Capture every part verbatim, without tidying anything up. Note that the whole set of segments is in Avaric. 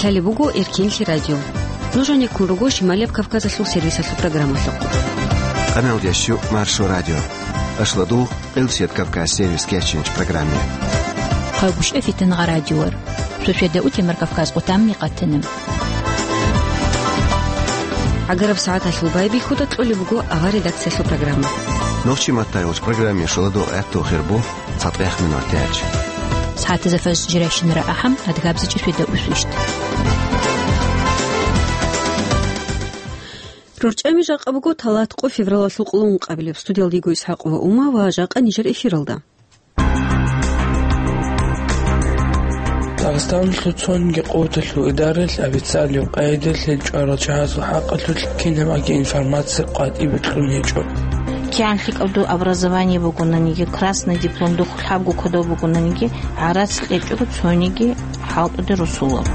Лъалеб буго Эркенлъи радио. Нуж гьанеккун руго Шималияб Кавказалъул сервисалъул программалъухъ. Къаналдящу Маршо радио. Ашладу Къилсият Кавказ сервис кечинч программе. Хъагушев Фитнагъа радиор. Суседа утемар Кавказ къутамни къатиним. ГӀагараб сагӀаталъул байбихьуда кьолеб буго авар редакциялъул программа. Нохчи маттайгъуч программе шуладу гӀатту хирбу цатӀех минут дяч. СагӀатаза фаж жиращинара ахӀам адгабзичӀи суседа усвищт. РорчӀами жакъа буго талат къо февралалъул къулун къабилеб. Студиялда йиго ИсхӀакъ ва Ума ва жакъа нижер эфиралда. Дагъистаналъул цониги къуваталъул идаралъ официалив къайдалъе чӀварал чагӀазул хӀакъалъулъ кинабаги информация къватӀибе кьун гьечӀо. КигӀан лъикӀаб доб образование бугонаниги, красный диплом духъ лъабго кодоб бугонаниги, гӀарац кьечӀого цониги хӀалтӀуде русулаб.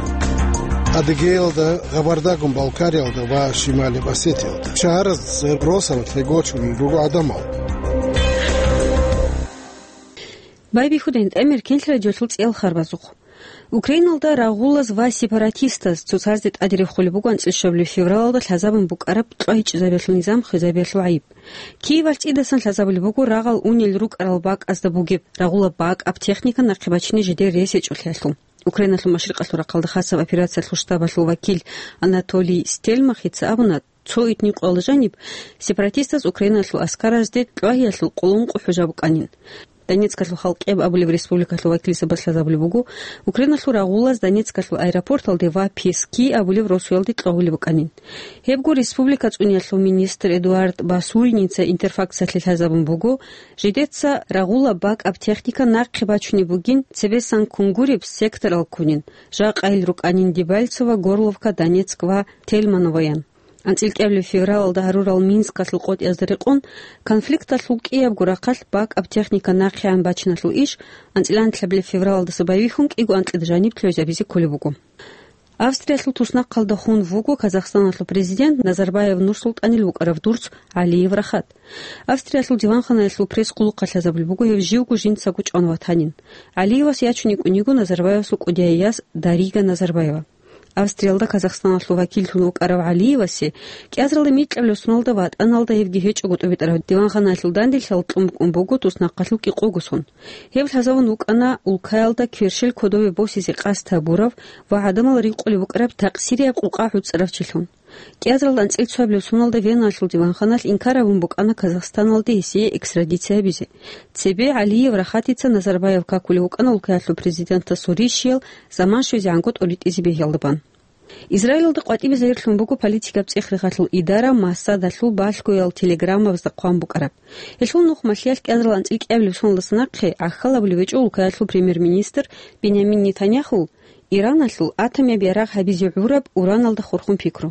Адыгеялда, Габардагун-Балкариялда ва Шимали Осетиялда. Шагьараз росаралъе гочун руго гӀадамал. Байбихьудин тӀамир кенлъ радиолъул цӀиял харбазухъ. Украиналда рагъулаз ва сепаратистаз цоцазде тӀаде рехулеб буго анцӀил щабабилеб февралалда лъазабун букӀараб кьвайчӀезабиялъул низам хвезабиялъул гӀайиб. Киевалъ цӀидасан лъазабулеб буго рагъал унел рукӀарал бакӀазда бугеб, рагъулаб бакӀаб техника нахъе бачине жидер рес гьечӀолъиялъул. Украиналъул машрикъалъул рахъалда хасаб операциялъул штабалъул вакил Анатолий Стельмахица абуна, цо итни къоялда жаниб сепаратистаз Украиналъул аскаразде кьвайиялъул къулун къо хӀужа букӀанин. Донецкалъул Халкъеб абулеб республикалъул вакилзабаз лъазабулеб буго, Украиналъул рагъулаз Донецкалъул аэропорталде ва Пески абулеб росуялде кьвагьулеб букӀанин. Гьебго республика цӀуниялъул министр Эдуард Басуриница Интерфаксалъе лъазабун буго, жидеца рагъулаб бакӀаб техника нахъе бачунеб бугин, цебесан кунгуреб секторал ккунин, жакъа гьел рукӀанин Дебальцево, Горловка, Донецк ва Тельмановоян. АнцӀил кӀиабилеб февралалда гьарурал Минскалъул къотӀиязда рекъон, конфликталъул кӀиябго рахъалъ бакӀаб техника нахъегӀан бачиналъул иш анцӀила анлъабилеб февралалдаса байбихьун кӀиго анкьида жаниб лъугӀизабизе кколеб буго. Австриялъул туснахъалда хун вуго Казахстаналъул президент Назарбаев Нурсултанил вукӀарав дурц ГӀалиев Рахат. Австриялъул диванханаялъул пресс-къулухъалъ лъазабулеб буго гьев живго жинцаго чӀван ватанин. ГӀалиевас ячун йикӀун йиго Назарбаевасул кӀудияй яс Дарига Назарбаева. Австриялда Казахстаналъул вакиллъун вукӀарав ГӀалиевасе кӀиазаралда микьабилеб соналда ватӀаналда гьевги гьечӀого тӀубитӀараб диванханаялъул данделъал кьун букӀун буго туснахъалъул кӀикъого сон. Гьеб лъазабун вукӀана улкаялда кверщел кодобе босизе къасд гьабурав ва гӀадамал рикъулеб букӀараб такъсирияб къукъа гӀуцӀарав чилъун. КӀиазаралда анцӀил цоабилеб соналда Веналъул диванханалъ инкар гьабун букӀана Казахстаналде гьесие экстрадиция гьабизе. Цебе ГӀалиев Рахатица Назарбаев какулев вукӀана улкаялъул президентасул рищаял заман щвезегӀанго тӀоритӀизе бегьиялда бан. Израилалда къватӀибе загьирлъун буго политикаб цӀех-рехалъул идара Масадалъул балъгоял телеграммабазда хъван букӀараб. Гьелъул нух малъиялъ кӀиазарал анцӀил кӀиабилеб соналдаса нахъе гӀахьал абулеб гьечӀо улкаялъул премьер-министр Бинямин Нетаньяхул Ираналъул атомияб ярагъ гьабизе гӀураб ураналда хурхун пикру.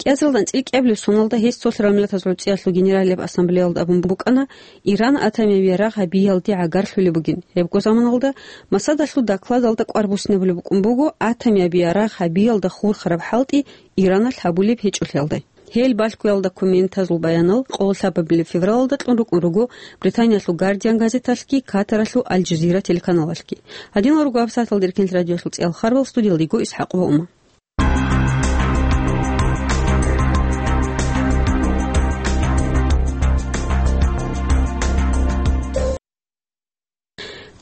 КӀиазарал анцӀил кӀиабилеб соналда гьес цолъарал миллатазул гӀуцӀиялъул генералияб ассамблеялда абун букӀана, Иран атомияб ярагъ гьабиялде гӀагарлъулеб бугин. Гьебго заманалда Масадалъул докладалда кӀвар буссинабулеб букӀун буго, атомияб ярагъ гьабиялда хурхараб хӀалтӀи Ираналъ гьабулеб гьечӀолъиялда. Гьел балъгоял документазул баянал къоло лъабабилеб февралалда кьун рукӀун руго Британиялъул Гардиан газеталъги Катаралъул Аль-Жазира телеканалалъги. Гьадинал руго гьабсагӀаталда Эркенлъи радиоялъул цӀиял харбал, студиялда йиго ИсхӀакъ ва Ума.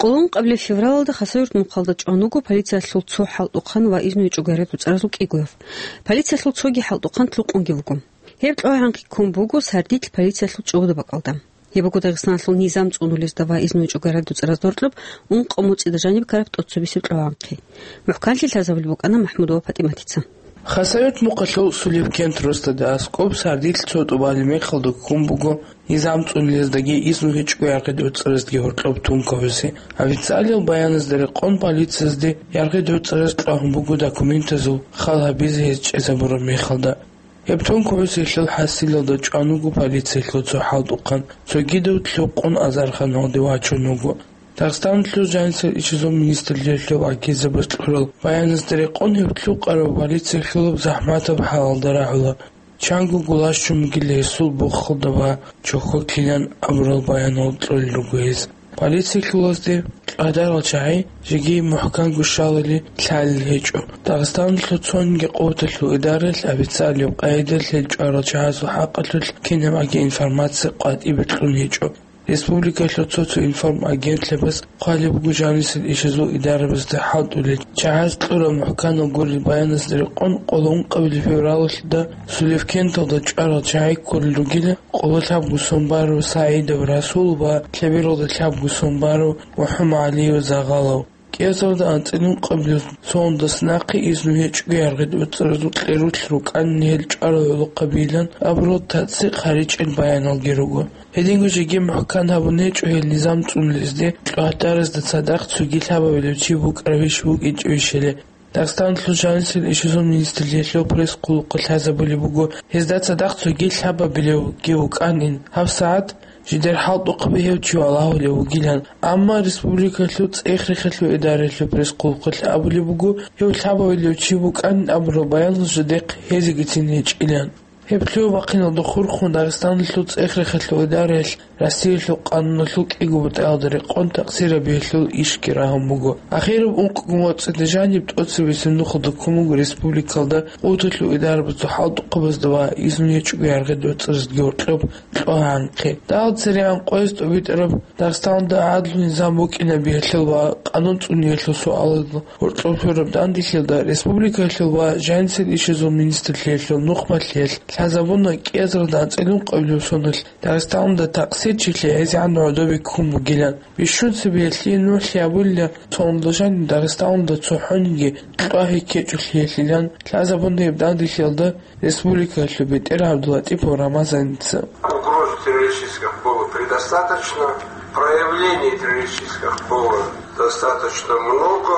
Къулун къабилеб февралалда Хасавюрт мухъалда чӀван вуго полициялъул цо хӀалтӀухъан ва изну гьечӀого гӀараб дуцӀаразул кӀигояв. Полициялъул цоги хӀалтӀухъан лъукъунги вуго. Гьеб кьвагӀанкъи ккун буго сардилъ полициялъул чӀобода бакӀалда. Гьеб буго Дагъистаналъул низам цӀунулезда ва изну гьечӀого гӀараб дуцӀаразда гьоркьоб ункъо моцӀида жаниб ккараб тӀоцебесеб кьвагӀанкъи. МухӀканлъи лъазабулеб букӀана МахӀмудова ПатӀиматица. Хасавюрт мухъалъул Сулебкент росдада аскӀоб сардилъ цо тӀубалеб мехалда ккун буго низам цӀунулездаги изну гьечӀого яргъи дуцӀараздаги гьоркьоб тункабазе. Официалиял баяназда рекъон, полициязде яргъи дуцӀараз кьвагьун буго документазул хал гьабизе гьез чӀезабураб мехалда. Гьеб тункабазе гьелъул хӀасилалда чӀван вуго полициялъул цо хӀалтӀухъан, цогидав лъукъун азарханалде вачун вуго. Дагъистаналъул жанисел ишазул министрлъиялъул вакилзабаз кьурал баяназда рекъон, гьеб лъукъарав полициялъулаб захӀматаб хӀалалда рагӀула. Чанго гулащун бугила гьесул бухалда ва чохьо кинан абурал баянал кьолел руго гьез. Полициялъулазде Гьадарал чагӀи жеги мухӀканго щалали лъалел гьечӀо. Дагъистаналъул цонги къуваталъул идараялъ официалияб къайдалъ гьел чӀварал чагӀазул хӀакъалъулъ кинабгӀаги информация къватӀибе кьун гьечӀо. Республикалъул цо-цо информагентлъабаз хъвалеб буго жанисел ишазул идарабазда хӀалтӀулел чагӀаз кьураб мухӀканал гурел баяназда рекъон, къоло ункъабилеб февралалда Сулевкенталда чӀварал чагӀи кколел ругила къоло лъабго сон барав СагӀидов Расул ва лъебералда лъабго сон барав МухӀаммадгӀалиев Загъалав. КӀиазарда анцӀила ункъабилеб соналдаса нахъе изну гьечӀого яргъи доцӀразул кьерулъ рукӀанин гьел чӀварал гӀолохъабилан абурал тацӀи хъаричӀел баяналги руго. Гьединго жеги мухӀкан гьабун гьечӀо гьел низам цӀунулезде, кьогьадаразда цадахъ цоги лъабабилев чи букӀарабищ букӀинчӀебищали. Дагъистаналъул жанисел ишазул министрлъиялъул пресс-хъулухъалъ лъазабулеб буго, гьезда цадахъ цоги лъабабилевги вукӀанин, гьабсагӀат жидер хӀалтӀухъаби гьев чи валагьулев вугилан. Амма республикалъул цӀех-рехалъул идараялъул пресс-хъулухъалъ абулеб буго, гьев лъабабилев чи вукӀанин абурал баянал жидехъ гьезегицин гьечӀилан. Гьеб лъугьа-бахъиналда хурхун Дагъистаналъул цӀех-рехалъул идараялъ Россиялъул къануналъул кӀиго бутӀаялда рекъон такъсир гьабиялъул ишги рагьун буго. Ахираб ункъго моцӀида жаниб тӀоцебесеб нухалда ккун буго республикалда къуваталъул идарабазул хӀалтӀухъабазда ва изну гьечӀого яргъи доцӀраздаги гьоркьоб кьогьанхъе. Дагьал церегӀан къояз тӀобитӀараб Дагъистаналда гӀадлу низам букӀинабиялъул ва къанун цӀуниялъул суалазул гьоркьоб лъураб данделъиялда республикалъул ва жанисел ишазул министрлъиялъул нухмалъиялъ лъазабуна кӀиазарда анцӀила ункъабилеб соналъ Дагъистаналда такъсирчилъи гӀезегӀан гӀодобе ккун бугилан. Бищун цебеялъе нухлъи абулила, цо унда жаниб Дагъистаналда цохӀониги кьвагьи ккечӀолъиялъилан лъазабуна гьеб данделъиялда республикалъул БетӀергьан ГӀабдулатӀипов Рамазаница. Угроз террористических было предостаточно, проявлений террористических было достаточно много.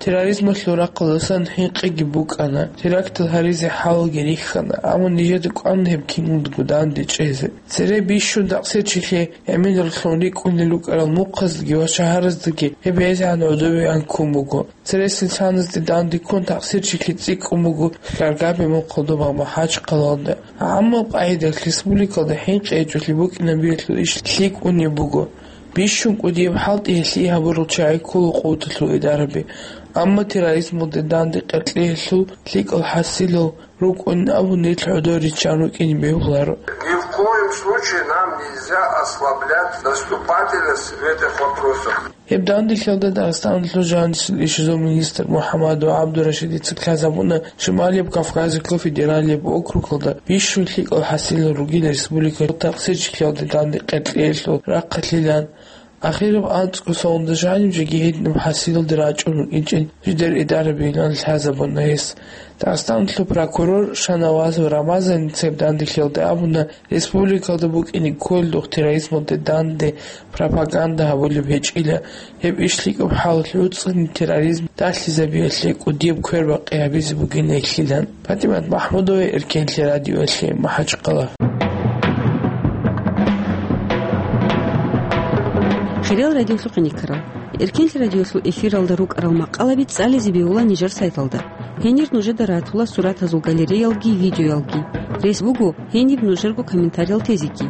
Терроризмалъул рахъалдасан хӀинкъиги букӀана, терактал гьаризе хӀалги рихьана, амма нижеда кӀван гьеб киналдаго данде чӀезе. Цере бищун такъсирчилъи гӀемераллъун рикӀкӀунел рукӀарал мухъаздаги ва шагьараздаги гьеб гӀезегӀан гӀодобегӀан ккун буго. Цересел саназде данде ккун такъсирчилъи цӀикӀкӀун буго Хьаргабе мухъалда ва МахӀачхъалалда. Амма къагӀидаялъ республикалда хӀинкъи гьечӀолъи букӀинабиялъул иш лъикӀунеб буго. Бищун кӀудияб хӀалтӀи гьелъие гьабурал чагӀи ккола къуваталъул идараби. Амма терроризмалде данде къеркьеялъул лъикӀал хӀасилал рукӀунин абун нилъ гӀодор риччан рукӀине бегьуларо. Ни в коем случае нам нельзя ослаблять наступательность в этих вопросах. Гьеб данделъиялда Дагъистаналъул жанисел ишазул министр МухӀаммадов ГӀабдурашидица лъазабуна Шималияб Кавказалъул федералияб округалда бищун лъикӀал хӀасилал ругел республикалъул такъсирчилъиялде данде къеркьеялъул рахъалъилан. Ахираб анцӀго соналда жаниб жеги гьединаб хӀасилалде рачӀун рукӀинчӀин жидер идарабилан лъазабуна гьес. Дагъистаналъул прокурор Шанавазов Рамазаница гьеб данделъиялда абуна, республикалда букӀине кколелъул терроризмалде данде пропаганда гьабулеб гьечӀила. Гьеб иш лъикӀаб хӀалалъ гӀуцӀани терроризм далъизабиялъе кӀудияб квербакъи гьабизе бугин гьелъилан. ПатӀимат МахӀмудова, Эркенлъи радиоялъе, МахӀачхъала. Хириял радиолъухъе никарал. Эркенлъи радиолъул эфиралда рукӀарал макъалаби цӀализе бегьула нижер сайталда. Гьенир нужеда ратула суратазул галереялги видеоялги. Рес буго гьениб нужерго комментариял тезеги.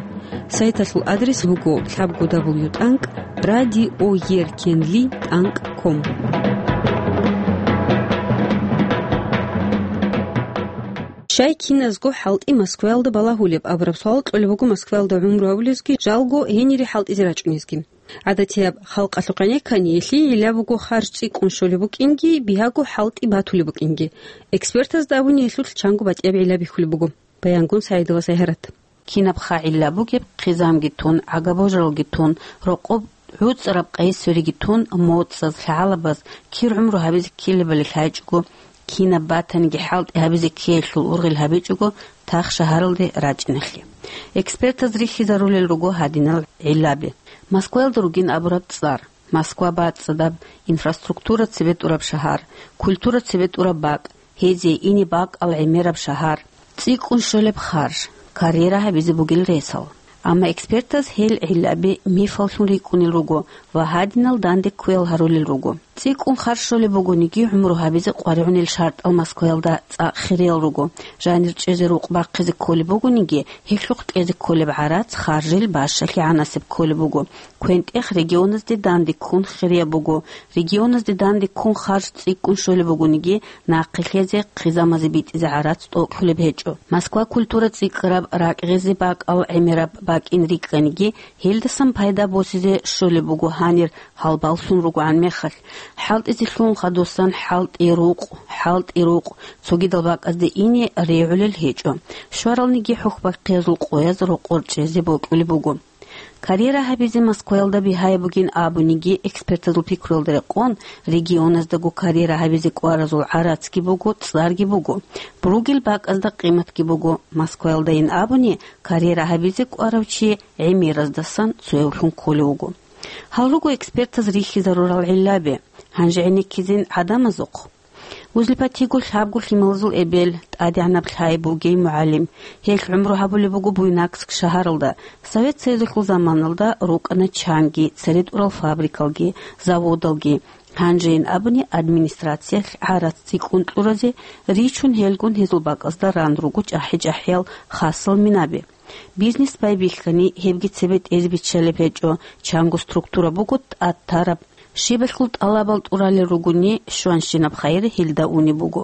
Сайталъул адрес буго лъабго дабл ю тӀанкӀ радиоеркенли тӀанкӀ ком. Щай киназго хӀалтӀи Москваялда балагьулеб абураб суал кьолеб буго Москваялда гӀумру гьабулезги, жалго гьенире хӀалтӀизе рачӀунезги. ГӀадатияб халкъалъухъ гӀенеккани, гьелъие гӀилла буго харж цӀикӀкӀун щолеб букӀинги, бигьаго хӀалтӀи батулеб букӀинги. Экспертазда абуни гьелъулъ чанго батӀияб гӀилла бихьулеб буго. Баянгун Саидова Сайгьарат. Кинабха гӀилла бугеб, хъизамги тун, гӀагаб-божаралги тун, рокъоб гӀуцӀараб къайи-свериги тун, моцӀаз, лъагӀалабаз кир гӀумру гьабизе ккелебали лъайчӀого, кинаб батаниги хӀалтӀи гьабизе ккеялъул ургъел гьабичӀого тах шагьаралде рачӀиналъе. Экспертаз рихьизарулел руго гьадинал гӀиллаби. Москваялда ругин абураб цӀар, Москва бацӀцӀадаб, инфраструктура цебетӀураб шагьар, культура цебетӀураб бакӀ, гьезие ине бакӀал гӀемераб шагьар, цӀикӀкӀун щолеб харж, карьера гьабизе бугел ресал. Амма экспертаз гьел гӀиллаби мифаллъун рикӀкӀунел руго ва гьадинал данде кквеял гьарулел руго. ЦӀикӀкӀун харж щолеб бугониги, гӀумру гьабизе къваригӀунел шартӀал Москваялда цӀакъ хириял руго. Жанир чӀезе рукъ бахъизе кколеб бугониги, гьелъухъ кьезе кколеб гӀарац, харжил бащалъи гӀанасеб кколеб буго. КвентӀех регионазде данде ккун хирияб буго. Регионазде данде ккун харж цӀикӀкӀун щолеб бугониги, нахъе лъезе, хъизамазе битӀизе гӀарац тӀокӀлъулеб гьечӀо. Москва культура цӀикӀкӀараб, ракӀ гъезе бакӀал гӀемераб бакӀин рикӀкӀаниги, гьелдасан пайда босизе щолеб буго гьанир, гьалбаллъун ругогӀан мехалъ. ХӀалтӀизе лъугьун хадусан хӀалтӀи рукъ, хӀалтӀи рукъ, цогидал бакӀазде ине регӀулел гьечӀо. Щваралниги хӀухьбахъиязул къояз рокъор чӀезе бокьулеб буго. Карьера гьабизе Москваялда бигьаяб бугин абуниги, экспертазул пикруялда рекъон, регионаздаго карьера гьабизе кӀваразул гӀарацги буго, цӀарги буго. Ругел бакӀазда къиматги буго. Москваялдайин абуни, карьера гьабизе кӀварав чи гӀемераздасан цоявлъун кколев вуго. Гьал руго экспертаз рихьизарурал гӀиллаби. Гьанже гӀенеккизин гӀадамазухъ. Узлипатиго лъабго лъималазул эбел, тӀадегӀанаб лъай бугей мугӀалим. Гьелъ гӀумру гьабулеб буго Буйнакск шагьаралда. Совет Союзалъул заманалда рукӀана чанги, цере тӀурал фабрикалги, заводалги. Гьанжейин абуни, администрациялъ гӀарац цӀикӀкӀун кьуразе ричун, гьелгун гьезул бакӀазда ран руго чӀахӀи-чӀахӀиял хасал минаби. Бизнес байбихьани, гьебги цебе тӀезе биччалеб гьечӀо, чанго структура буго тӀад тараб. Щибалъул тӀалабал тӀуралел ругони, щванщинаб хайир гьелда унеб буго.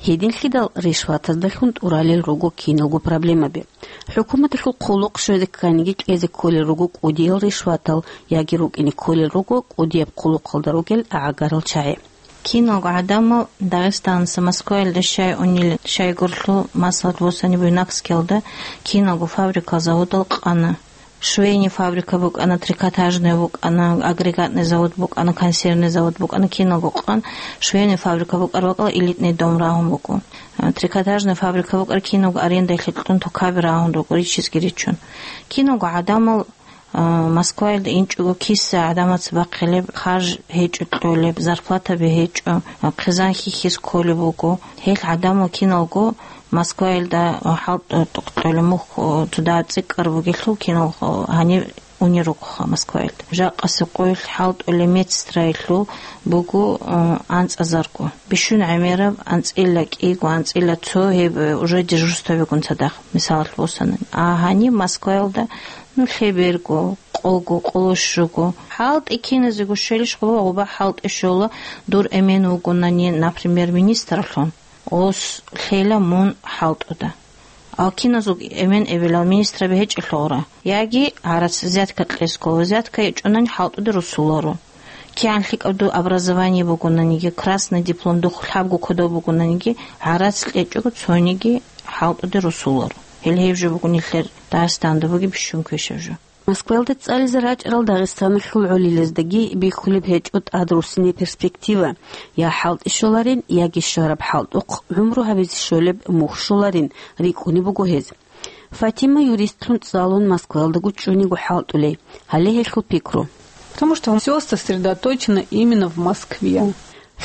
Гьединлъидал ришватаздалъун тӀуралел руго киналго проблемаби. ХӀукуматалъул хъулухъ щвезе кканиги кьезе кколел руго кӀудиял ришватал яги рукӀине кколел руго кӀудияб хъулухъалда ругел гӀагарал чагӀи. Киналго гӀадамал Дагъистанаса Москваялда щай унел, щай гурлъу, масалат, босани Буйнакскиялда киналго фабрикал, заводал къана. Швейный фабрика букӀана, трикотажный букӀана, агрегатный завод букӀана, консервный завод букӀана, киналго къан швейный фабрика букӀар бакӀала элитный дом рагьун буго. Трикотажный фабрика букӀар киналго арендалъе кьун тукаби рагьун руго, ричизги ричун. Киналго гӀадамал А, Москваялда инчӀого киса гӀадамаца бахъилеб, харж гьечӀо кьолеб, зарплатаби гьечӀо, а, хъизан хьихьиз кколеб буго. Гьел гӀадамал киналго Москваялда, а, хӀалтӀ-, тӀокӀ кьолеб мухь, а, цо дагьаб цӀикӀкӀараб бугелъул кинал, а, гьаниб унел ругоха Москваялда. Жакъасеб къоялъ хӀалтӀулеб медсестраялъул буго, а, анцӀазарго. Бищун гӀемераб анцӀила кӀиго, анцӀила цо гьеб, а, уже дежурствабигун цадахъ, мисалалъ босани. А гьаниб Москваялда Ну, лъеберго, къого, къоло щуго. ХӀалтӀи киназего щвелищ, гъуба-гъуба хӀалтӀи щола, дур эмен вугонани, например, министрлъун, гъос лъела мун хӀалтӀуда. А киназул эмен эбелал министраби гьечӀелъулра. Яги гӀарац взятка кьесго, взятка гьечӀонани хӀалтӀуде русуларо. КигӀан лъикӀаб дур образование бугонаниги, красный диплом духъ лъабго кодоб бугонаниги, гӀарац кьечӀого цониги хӀалтӀуде русуларо. Гьел гьеб жо буго нилъер Дагъистанда бугеб бищун квешаб жо. Москваялда цӀализе рачӀарал Дагъистаналъул гӀолилаздаги бихьулеб гьечӀо тӀад руссине перспектива: я хӀалтӀи щоларин, яги щвараб хӀалтӀухъ гӀумру гьабизе щолеб мухь щоларин, рикӀкӀунеб буго гьез. Фатима юристлъун цӀалун Москваялдаго чӀунего хӀалтӀулей, гьале гьелъул пикру. Потому что всё сосредоточено именно в Москве.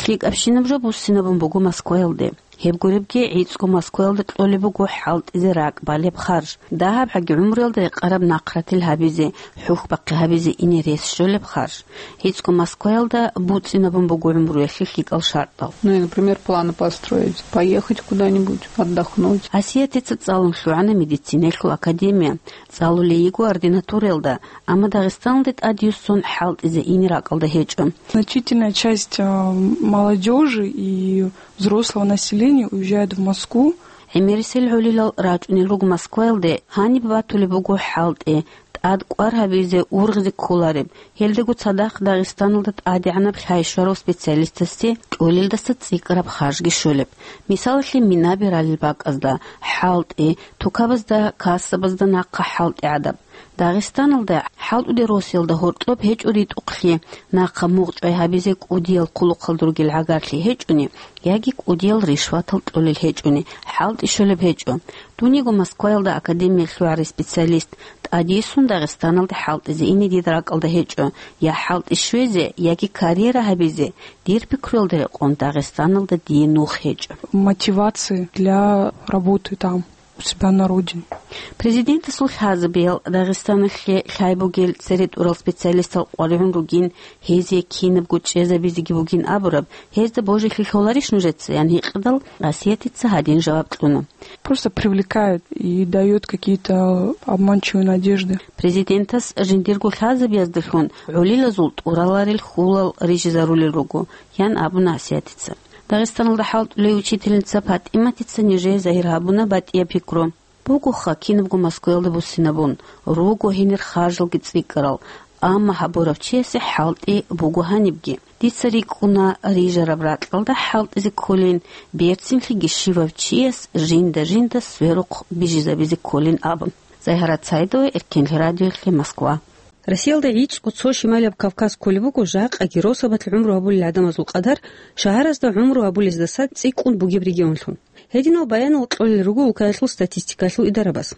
ЛъикӀабщинаб жо буссинабун буго Москваялде. Гьеб гуребги, гӀицӀго Москваялда кьолеб буго хӀалтӀизе ракӀ балеб харж, дагьабгӀаги гӀумруялда рекъараб нахъратил гьабизе, хӀухьбахъи гьабизе ине рес щолеб харж. ГӀицӀго Москваялда буцӀцӀинабун буго гӀумруялъе лъикӀал шартӀал. Ну и, например, планы построить, поехать куда-нибудь, отдохнуть. Асиятица цӀалун лъугӀана медицинаялъул академия, цӀалулей йиго ординатураялда, амма Дагъистаналде тӀадюссун хӀалтӀизе ине ракӀалда гьечӀо. Значительная часть, а, молодёжи и взрослого населения уезжает в Москву. ГӀемерисел гӀолилал рачӀунел руго Москваялде, гьаниб батулеб буго хӀалтӀи, тӀад кӀвар гьабизе, ургъизе кколареб. Гьелдаго цадахъ Дагъистаналда тӀадегӀанаб лъай щварав специалистасде кьолелдаса цӀикӀкӀараб харжги щолеб. Мисалалъе, минаби ралел бакӀазда хӀалтӀи, тукабазда, кассабазда нахъа хӀалтӀи гӀадаб. Дагъистаналда хӀалтӀуде росиялда гьоркьоб гьечӀо ритӀухълъи, нахъа мугъчӀвай гьабизе кӀудиял хъулухъалда ругел гӀагарлъи гьечӀони, яги кӀудиял ришватал кьолел гьечӀони, хӀалтӀи щолеб гьечӀо. Дунего Москваялда академиялъ лъугӀарай специалист тӀадйиссун Дагъистаналде хӀалтӀизе ине дида ракӀалда гьечӀо, я хӀалтӀи щвезе, яги карьера гьабизе, дир пикруялда рекъон, Дагъистаналда дие нух гьечӀо. Мотивации для работы там. себя на родине. Президентасул лъазабиял Дагъистаналъе лъай бугел цере тӀурал специалистал къваригӀун ругин, гьезие кинабго чӀезабизеги бугин абураб, гьезда божилъи лъоларищ нужеца? — ян гьикъидал, Асиятица гьадин жаваб кьуна. Просто привлекают и дают какие-то обманчивые надежды. Президентас жиндирго лъазабияздалъун гӀолилазул тӀураларел хьулал рижизарулел руго, — ян абуна Асиятица. Дагъистаналда хӀалтӀулев учительница ПатӀиматица нижее загьир гьабуна батӀияб пикру. Бугоха кинабго Москваялда буссинабун, руго гьенир харжалги цӀикӀкӀарал, амма гьабурав чиясе хӀалтӀи буго гьанибги. Дица рикӀкӀуна рижараб ракьалда хӀалтӀизе кколин, берцинлъиги щивав чияс жинда-жинда сверухъ бижизабизе кколин абун. Загьарат Саидова, Эркенлъи радиолъе, Москва. Россиялда гӀицӀго цо Шималияб Кавказ кколеб буго жакъаги росабалъ гӀумру гьабулел гӀадамазул къадар шагьаразда гӀумру гьабулездаса цӀикӀкӀун бугеб регионлъун. Гьединал баянал кьолел руго улкаялъул статистикалъул идарабаз.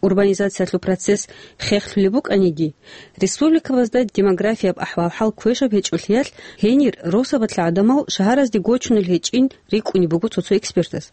Урбанизациялъул процесс хехлъулеб букӀаниги, республикабазда демографияб ахӀвал-хӀал квешаб гьечӀолъиялъ, гьенир росабалъ гӀадамал шагьаразде гочунел гьечӀин рикӀкӀунеб буго цо-цо экспертаз.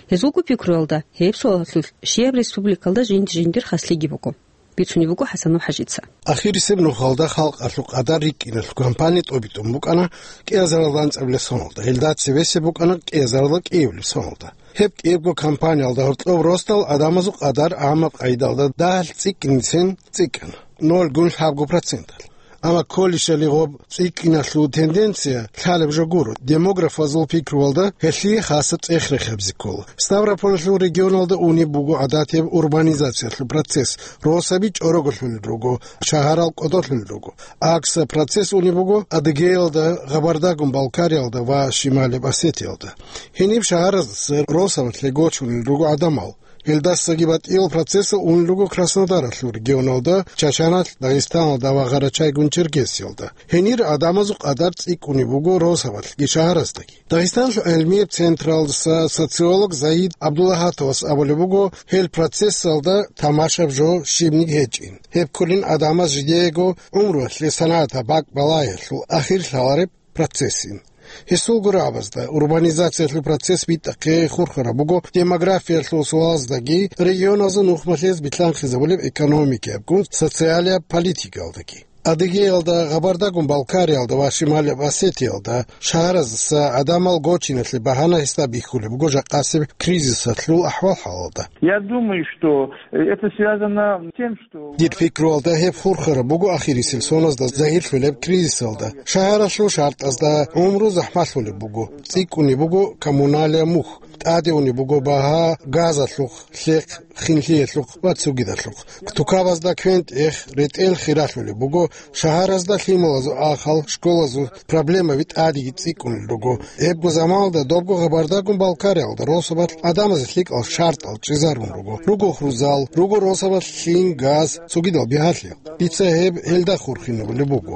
Гьезулго пикруялда, гьеб суалалъулъ щибаб республикалда жинди-жиндир хаслъиги буго. Бицунеб буго ХӀасан ХӀажица. Ахирисеб нухалда халкъалъул къадар рикӀкӀиналъул кампания тӀобитӀун букӀана кӀиазаралда анцӀабилеб соналда, гьелда цебесеб букӀана кӀиазаралда кӀиабилеб соналда. Гьеб кӀиябго кампаниялда гьоркьоб росдал гӀадамазул къадар гӀаммаб къайдалда дагьалъ цӀикӀкӀинцин цӀикӀкӀана, ноль гун лъабго проценталъ. Амма кколищали гьеб цӀикӀкӀиналъул тенденция лъалеб жо гуро, демографазул пикруялда гьелъие хасаб цӀех рехизе ккола. Ставрополалъул регионалда унеб буго гӀадатияб урбанизациялъул процесс, росаби чӀороголъулел руго, шагьарал кӀодолъулел руго. ГӀаксаб процесс унеб буго Адыгеялда, Гъабардагун-Балкариялда ва Шималияб Осетиялда. Гьениб шагьараздаса росабалъе гочунел руго гӀадамал. Гьелдасаги батӀиял процессал унел руго Краснодаралъул регионалда, Чачаналъ, Дагъистаналда ва Гъарачайгун-Черкесиялда. Гьенир гӀадамазул къадар цӀикӀкӀунеб буго росабалъги шагьараздаги. Дагъистаналъул гӀелмияб централдаса социолог Загьид ГӀабдуллагьатовас абулеб буго, гьел процессалда тамашаб жо щибниги гьечӀин. Гьеб кколин гӀадамаз жидеего гӀумруялъе санагӀатаб бакӀ балагьиялъул ахир лъалареб процессин. Гьесул гурабазда, урбанизациялъул процесс битӀахъе хурхараб буго демографиялъул суалаздаги, регионазул нухмалъиз билълъанхъизабулеб экономикиябгун социалияб политикаялдаги. Адыгеялда, Гъабардагун-Балкариялда ва Шималияб Осетиялда шагьараздаса гӀадамал гочиналъе багьана гьесда бихьулеб буго жакъасеб кризисалъул ахӀвал-хӀалалда. Я думаю, что это связано с тем, что Дир пикруялда гьеб хурхараб буго ахирисел соназда загьирлъулеб кризисалда. Шагьаралъул шартӀазда гӀумру захӀмалъулеб буго, цӀикӀкӀунеб буго коммуналия мухь, тӀаде унеб буго багьа газалъухъ, лъехъ, хинлъиялъухъ ва цогидалъухъ. Тукабазда квен-тӀех, ретӀел хиралъулеб буго, шагьаразда лъималазул ахал, школазул проблемаби тӀадеги цӀикӀкӀунел руго. Гьебго заманалда добго Гъабардагун-Балкариялда росабалъ гӀадамазе лъикӀал шартӀал чӀезарун руго. Руго хӀурзал, руго росабалъ лъим, газ, цогидал бигьалъи. Дица гьеб гьелда хурхинабулеб буго.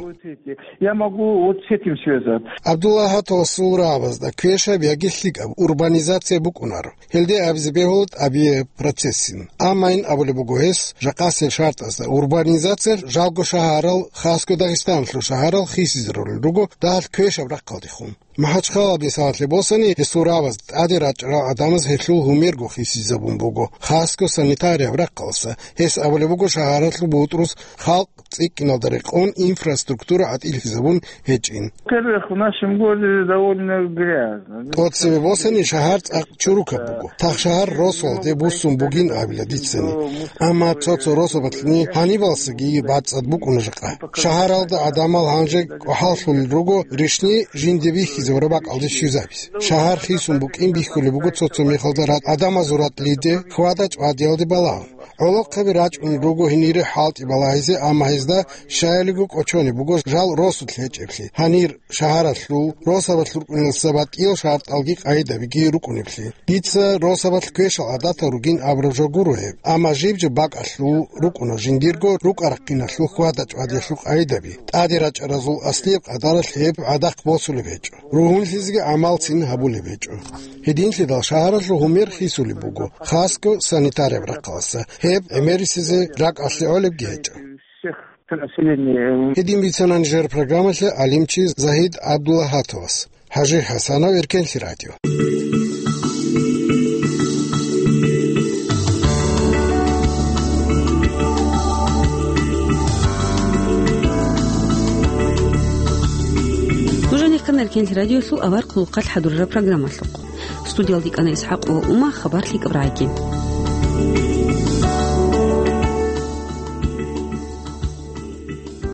Я могу вот с этим связаться. ГӀабдуллагьатовасул рагӀабазда квешаб яги лъикӀаб урбанизация букӀунаро. Гьелде абизе бегьула тӀабияб процессин. Амма ин абулеб буго гьес, жакъасел шартӀазда урбанизация жалго шагьарал, хасго Дагъистаналъул шагьарал хисизарулел руго дагьалъ квешаб рахъалдехун. МахӀачхъалаб мисалалъе босани, гьесул рагӀабаз тӀаде рачӀарал гӀадамаз гьелъул гьумерго хисизабун буго, хасго санитарияб рахъалъа. Гьес абулеб буго шагьаралъул бутӀрус халкъ цӀикӀкӀиналда рекъон инфраструктура гӀатӀилъизабун гьечӀин. Во-первых, в нашем городе довольно грязно. ТӀоцебе босани, шагьар цӀакъ чурукаб буго. Тахшагьар росулде буссун бугин абила дицани. Амма цо-цо росабалъни гьанибалсаги бацӀцӀад букӀуна жакъа. Шагьаралда гӀадамал гьанже кӀвахӀаллъулел руго ришни жинде бихьизабураб бакӀалде щвезабизе. Шагьар хисун букӀин бихьулеб буго цо-цо мехалда ратӀ-, гӀадамазул ратӀлиде, хьвада-чӀвадиялде балагьун. ГӀолохъаби рачӀунел руго гьенире хӀалтӀи балагьизе, амма гьезда щаялиго кӀочонеб буго жал росулъ гьечӀеблъи, гьанир шагьаралъул, росабалъ рукӀунелдаса батӀиял шартӀалги къайдабиги рукӀунеблъи. Дица росабалъ квешал гӀадатал ругин абураб жо гуро гьеб, амма жиб-жиб бакӀалъул рукӀуна жиндирго рукӀа-рахъиналъул хьвада-чӀвадиялъул къайдаби. ТӀаде рачӀаразул аслияб къадаралъ гьеб гӀадахъ босулеб гьечӀо. Ругьунлъизеги гӀамалцин гьабулеб гьечӀо. Гьединлъидал шагьаралъул гьумер хисулеб буго, хасго санитарияб рахъалъа. Гьеб гӀемерисезе ракӀалъе гӀолебги гьечӀо. Гьедин бицана нижер программалъе гӀалимчи Загьид ГӀабдуллагьатовас. ХӀажи ХӀасанов, Эркенлъи радио. Эркенлъи радиолъул авар хъулухъалъ хӀадурараб программалъухъ. Студиялда ккана ИсхӀакъова Ума, хабар лъикӀаб рагӀиги.